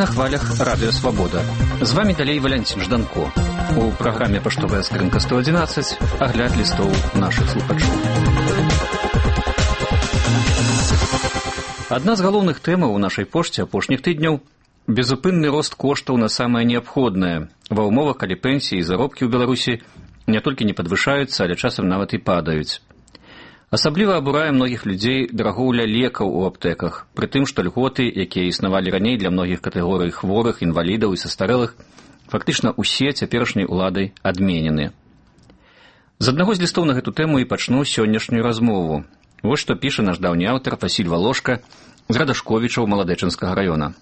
на хвалях Радыё Свабода. З вамі далей Валянцін Жданко. У праграме «Паштовая скрынка 111» агляд лістоў нашых слухачоў. Адна з галоўных тэмаў у нашай пошце апошніх тыдняў – безупынны рост коштаў на самае неабходнае ва ўмовах, калі пенсіі і заробкі ў Беларусі не толькі не падвышаюцца, але часам нават і падаюць. Асабліва абурае многіх людзей дарагоўля лекаў у аптэках, пры тым, што льготы, якія існавалі раней для многіх катэгорый хворых, інвалідаў і састарэлых, фактычна ўсе цяперашняй уладай адменены. З аднаго з лістоў на гэту тэму і пачну сённяшнюю размову. Вось што піша наш даўні аўтар Васіль Валошка з Радашковічаў Маладэчынскага раёна.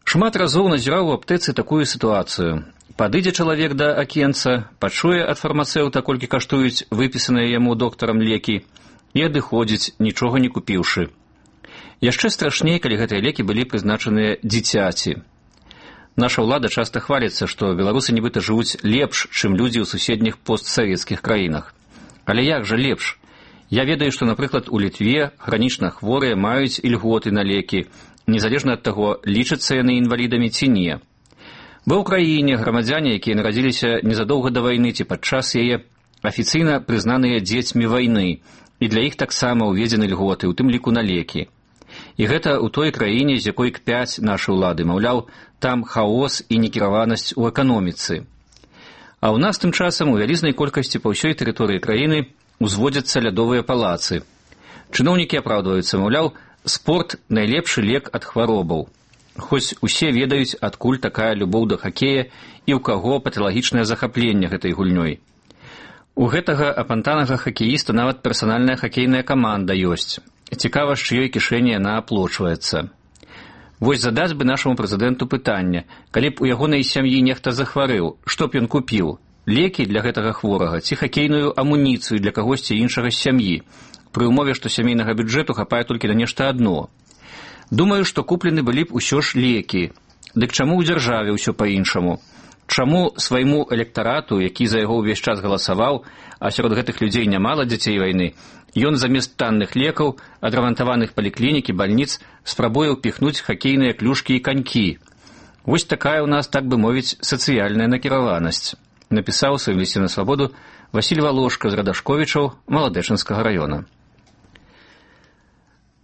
Шмат разоў назіраў у аптэцы такую сітуацыю. Падыдзе чалавек да акенца, пачуе ад фармацэўта, колькі каштуюць выпісаныя яму доктарам лекі, і адыходзіць, нічога не купіўшы. Яшчэ страшней, калі гэтыя лекі былі прызначаныя дзіцяці. Наша ўлада часта хваліцца, што беларусы нібыта жывуць лепш, чым людзі ў суседніх постсавецкіх краінах. Але як жа лепш? Я ведаю, што, напрыклад, у Літве хранічна хворыя маюць ільготы на лекі, незалежна ад таго, лічацца яны інвалідамі ці не. Ва ўкраіне грамадзяне, якія нарадзіліся незадоўга да вайны ці падчас яе, афіцыйна прызнаныя дзецьмі вайны, і для іх таксама ўведзены льготы, у тым ліку на лекі. І гэта ў той краіне, з якой кпяць нашы ўлады, маўляў, там хаос і некіраванасць у эканоміцы. А ў нас тым часам у вялізнай колькасці па ўсёй тэрыторыі краіны узводзяцца лядовыя палацы. Чыноўнікі апраўдваюцца, маўляў, спорт – найлепшы лек ад хваробаў. Хоць усе ведаюць, адкуль такая любоў да хакея і ў каго паталагічнае захапленне гэтай гульнёй. У гэтага апантанага хакеіста нават персанальная хакейная каманда ёсць. Цікава, з чыёй кішэні яна аплочваецца. Вось задаць бы нашаму прэзідэнту пытанне, калі б у ягонай сям'і нехта захварэў, што б ён купіў? Лекі для гэтага хворага ці хакейную амуніцыю для кагосьці іншага з сям'і, пры ўмове, што сямейнага бюджэту хапае толькі на нешта адно. Думаю, што куплены былі б усё ж лекі. Дык чаму ў дзяржаве ўсё па-іншаму? Чаму свайму электарату, які за яго ўвесь час галасаваў, а сярод гэтых людзей нямала дзяцей вайны, ён замест танных лекаў, адрамантаваных паліклінік і бальніц спрабуе ўпіхнуць хакейныя клюшкі і канькі. Вось такая ў нас, так бы мовіць, сацыяльная накіраванасць, напісаў у сваім лісце на свабоду Васіль Валошка з Радашковічаў Маладэчынскага раёна.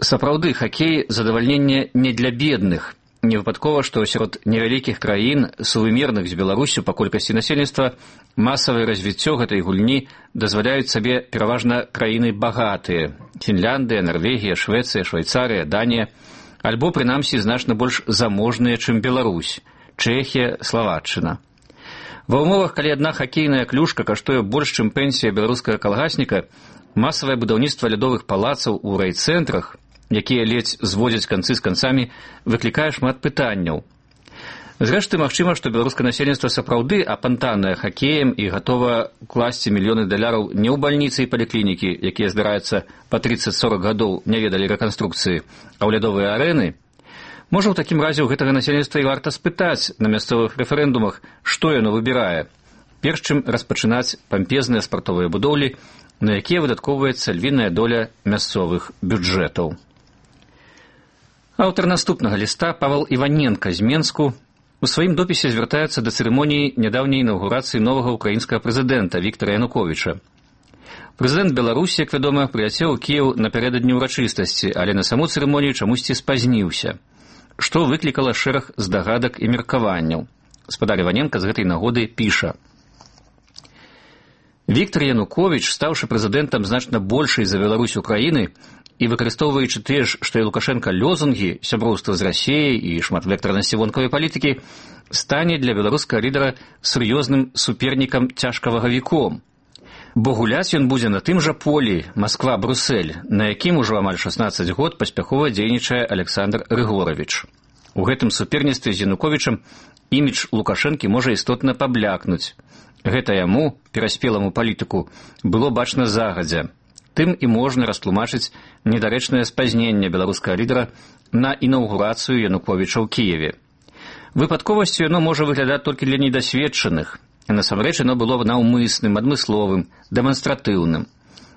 Сапраўды, хакей – задавальненне не для бедных. Не выпадкова, што сярод невялікіх краін, сувымерных з Беларусю па колькасці насельніцтва, масавае развіццё гэтай гульні дазваляюць сабе пераважна краіны багатыя – Фінляндыя, Нарвегія, Швецыя, Швайцарыя, Данія, альбо, прынамсі, значна больш заможныя, чым Беларусь – Чэхія, Славаччына. Ва ўмовах, калі адна хакейная клюшка каштуе больш, чым пенсія беларускага калгасніка, масавае будаўніцтва лядовых палацаў у райцэнтрах, якія ледзь зводзяць канцы з канцамі, выклікае шмат пытанняў. Зрэшты, магчыма, што беларускае насельніцтва сапраўды апантанае хакеем і гатова класці мільёны даляраў не ў бальніцы і паліклінікі, якія, здараюцца, па 30-40 гадоў не ведалі рэканструкцыі, а ў лядовыя арэны. Можа, у такім разе ў гэтага насельніцтва і варта спытаць на мясцовых рэферэндумах, што яно выбірае, перш чым распачынаць пампезныя спартовыя будоўлі, на якія выдаткоўваецца львіная доля мясцовых бюджэтаў. Аўтар наступнага ліста, Павел Іваненка з Менску, у сваім допісе звяртаецца да цырымоніі нядаўняй інаўгурацыі новага ўкраінскага прэзідэнта Віктара Януковіча. Прэзідэнт Беларусі, як вядома, прыляцеў у Кіеў напярэдадні ўрачыстасці, але на саму цырымонію чамусьці спазніўся, што выклікала шэраг здагадак і меркаванняў. Спадар Іваненка з гэтай нагоды піша: Віктар Януковіч, стаўшы прэзідэнтам значна большай за Беларусь Украіны і выкарыстоўваючы тыя ж, што і Лукашенка, лозунгі сяброўства з Расіяй і шматвектарнасці вонкавай палітыкі, стане для беларускага лідара сур'ёзным супернікам цяжкавагавіком. Бо гуляць ён будзе на тым жа полі Масква-Брусэль, на якім ужо амаль 16 год паспяхова дзейнічае Александр Рыгоровіч. У гэтым суперніцтве з Януковічам імідж Лукашэнкі можа істотна паблякнуць. Гэта яму, пераспеламу палітыку, было бачна загадзя. Тым і можна растлумачыць недарэчнае спазненне беларускага лідара на інаўгурацыю Януковіча ў Кіеве. Выпадковасцю яно можа выглядаць толькі для недасведчаных. Насамрэч яно было наўмысным, адмысловым, дэманстратыўным.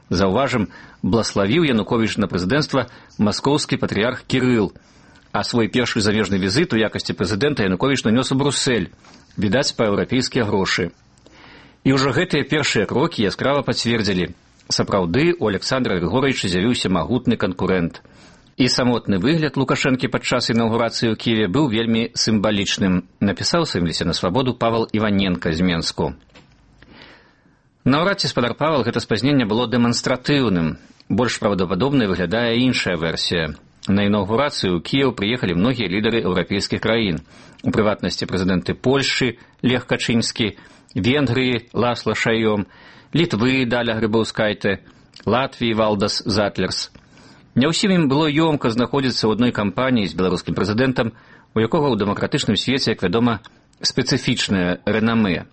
Заўважым, блаславіў Януковіч на прэзідэнцтва маскоўскі патрыярх Кірыл, А свой першы замежны візит у якасці прэзідэнта Януковіч нанёс у Брусэль, відаць, па еўрапейскія грошы. І ўжо гэтыя першыя крокі яскрава пацвердзілі. Сапраўды, у Александра Григорьевича з'явіўся магутны канкурэнт. І самотны выгляд Лукашэнкі падчас інаўгурацыі ў Кіеве быў вельмі сімвалічным, напісаў у сваім лісце на свабоду Павел Іваненка з Менску. Наўрад ці спадар Павел гэта спазненне было дэманстратыўным. Больш правдападобнай выглядае іншая версія. На інаўгурацыю ў Кіеў прыехалі многія лідары еўрапейскіх краін, у прыватнасці прэзідэнты Польшчы Лех Качынскі, Венгрыі Ласло Шайом, Літвы Даля Грыбаўскайте, Латвіі Валдас Затлерс. Не ўсім ім было ёмка знаходзіцца ў адной кампаніі з беларускім прэзідэнтам, у якога ў дэмакратычным свеце, як вядома, спецыфічнае рэнамэ.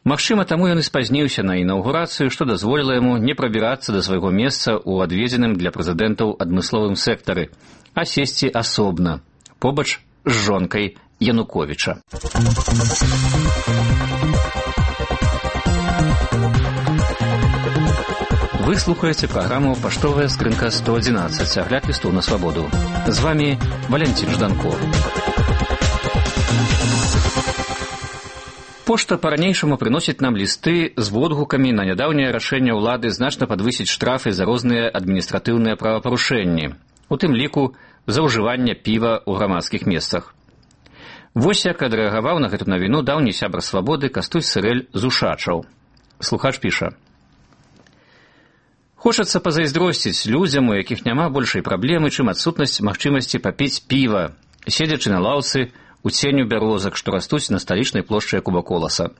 Магчыма, таму ён і спазніўся на інаўгурацыю, што дазволіла яму не прабірацца да свайго месца ў адведзеным для прэзідэнтаў адмысловым сектары, а сесці асобна, побач з жонкай Януковіча. Вы слухаеце праграму «Паштовая скрынка 111», агляд лістоў на свабоду. З вами Валентин Жданко. Пошта па-ранейшаму прыносіць нам лісты з водгукамі на нядаўняе рашэнне ўлады значна падвысіць штрафы за розныя адміністратыўныя правапарушэнні, у тым ліку за ўжыванне піва ў грамадскіх месцах. Вось як адрэагаваў на гэту навіну даўні сябар свабоды Кастусь Сырэль з Ушачаў. Слухач піша: «Хочацца пазайздросціць людзям, у якіх няма большай праблемы, чым адсутнасць магчымасці папіць піва, седзячы на лаўцы у ценю бярозак, што растуць на сталічнай плошчы Кубаколаса.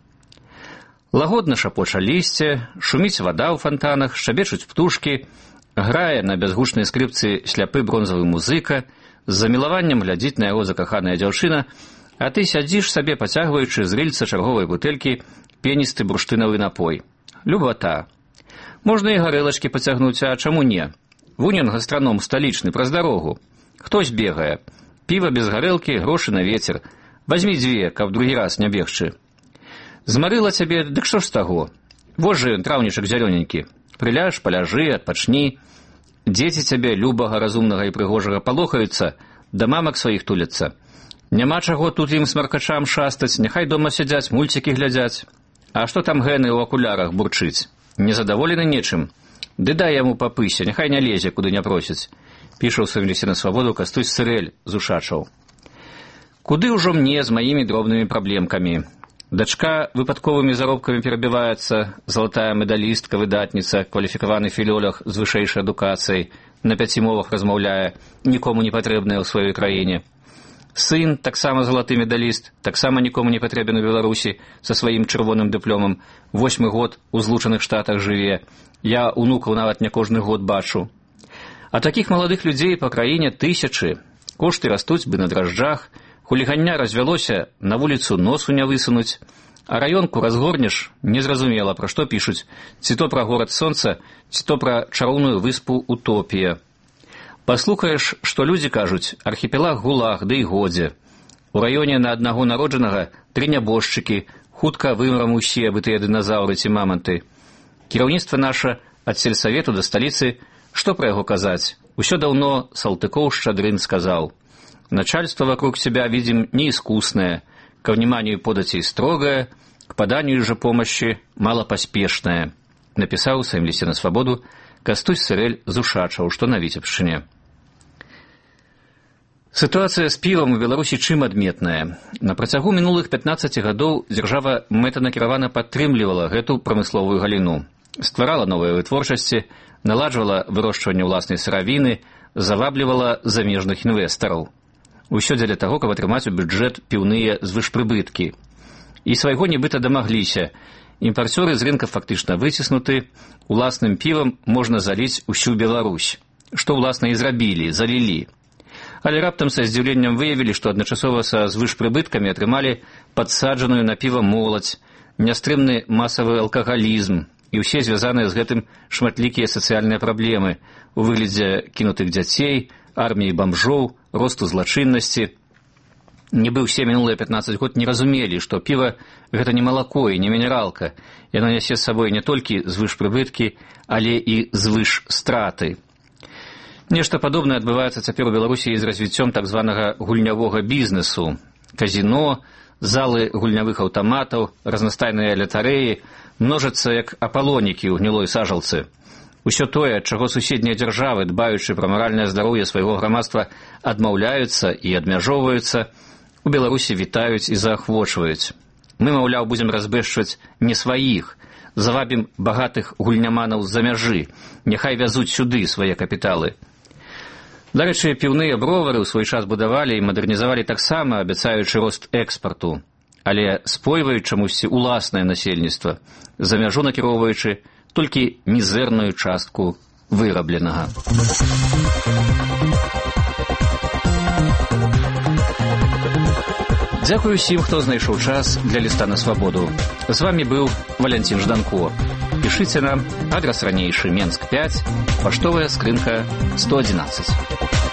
Лагодна шапоча лісце, шуміць вада ў фантанах, шчабечуць птушкі, грае на бязгучнай скрыпцы сляпы бронзавы музыка, з замілаваннем глядзіць на яго закаханая дзяўчына, а ты сядзіш сабе, пацягваючы з рыльца чарговай бутэлькі пеністы бурштынавы напой. Любата. Можна і гарэлачкі пацягнуць, а чаму не? Вунь ён гастраном сталічны, праз дарогу. Хтось бегае. Піва без гарэлкі, грошы на вецер. Вазьмі 2, каб другі раз не бегчы. Змарыла цябе, дык што ж з таго? Вось жа ён, траўнічак зялёненькі. Прыляж, паляжы, адпачні. Дзеці цябе, любага, разумнага і прыгожага, палохаюцца, да мамак сваіх туляцца. Няма чаго тут ім смаркачам шастаць, няхай дома сядзяць, мульцікі глядзяць. А што там гэны ў акулярах бурчыць? Незадаволены нечым? Ды дай яму па пысе, няхай не лезе, куды не просіць. Піша ў сваім лісце на свабоду Кастусь Сырэль з Ушачаў. Куды ўжо мне з маімі дробнымі праблемкамі? Дачка выпадковымі заробкамі перабіваецца, залатая медалістка, выдатніца, кваліфікаваны філёлог з вышэйшай адукацыяй, на 5 мовах размаўляе, нікому не патрэбная ў сваёй краіне. Сын, таксама залаты медаліст, таксама нікому не патрэбен у Беларусі, са сваім чырвоным дыпломам, 8 год у Злучаных Штатах жыве. Я унукаў нават не кожны год бачу. А такіх маладых людзей па краіне тысячы. Кошты растуць бы на дражджах, хулігання развялося, на вуліцу носу не высунуць, а раёнку разгорнеш, незразумела, пра што пішуць, ці то пра горад сонца, ці то пра чароўную выспу Утопія. Паслухаеш, што людзі кажуць, архіпелаг ГУЛАГ, ды і годзе. У раёне на аднаго народжанага 3 нябожчыкі, хутка вымрам усе, абы тыя дыназаўры ці маманты. Кіраўніцтва наша ад сельсавету да сталіцы, што пра яго казаць? Усё даўно Салтыкоў-Шчадрын сказаў. Начальство вокруг себя видим неискусное, ко вниманию податей строгое, к поданию же помощи малопоспешное. Написал в своем листе на свободу Кастусь Сырэль з Ушачаў, што на Віцебшчыне. Сітуацыя з півам у Беларусі чым адметная. На працягу мінулых 15 гадоў дзяржава мэтанакіравана падтрымлівала гэту прамысловую галіну, стварала новыя вытворчасці, наладжвала вырошчванне ўласнай сыравіны, заваблівала замежных інвестараў. Усё дзеля таго, каб атрымаць у бюджэт піўныя звышпрыбыткі. І свайго нібыта дамагліся. Імпарцёры з рынка фактычна выціснуты, уласным півам можна заліць усю Беларусь. Што, уласна, і зрабілі, залілі. Але раптам са здзіўленнем выявілі, што адначасова са звышпрыбыткамі атрымалі падсаджаную на піва моладзь, нястрымны масавы алкагалізм і ўсе звязаныя з гэтым шматлікія сацыяльныя праблемы у выглядзе кінутых дзяцей, арміі бамжоў, росту злачыннасці. Нібы ўсе мінулыя 15 год не разумелі, што піва – гэта не малако і не мінералка. Яно нясе з сабой не толькі звышпрыбыткі, але і звышстраты. Нешта падобнае адбываецца цяпер у Беларусі з развіццём так званага гульнявога бізнесу. Казіно, залы гульнявых аўтаматаў, разнастайныя лятарэі множацца як апалонікі ў гнілой сажалцы. Усё тое, ад чаго суседнія дзяржавы, дбаючы пра маральнае здароўе свайго грамадства, адмаўляюцца і адмяжоўваюцца, у Беларусі вітаюць і заахвочваюць. Мы, маўляў, будзем разбэшчваць не сваіх, завабім багатых гульняманаў з-за мяжы, няхай вязуць сюды свае капіталы. Дарэчы, піўныя бровары ў свой час будавалі і мадэрнізавалі таксама, абяцаючы рост экспарту, але спойваюць чамусьці уласнае насельніцтва, за мяжу накіроўваючы толькі мізэрную частку вырабленага. Дзякую усім, хто знайшоў час для ліста на свабоду. З вамі быў Валянцін Жданко. Пішыце нам, адрас ранейшы, Менск 5, паштовая скрынка 111.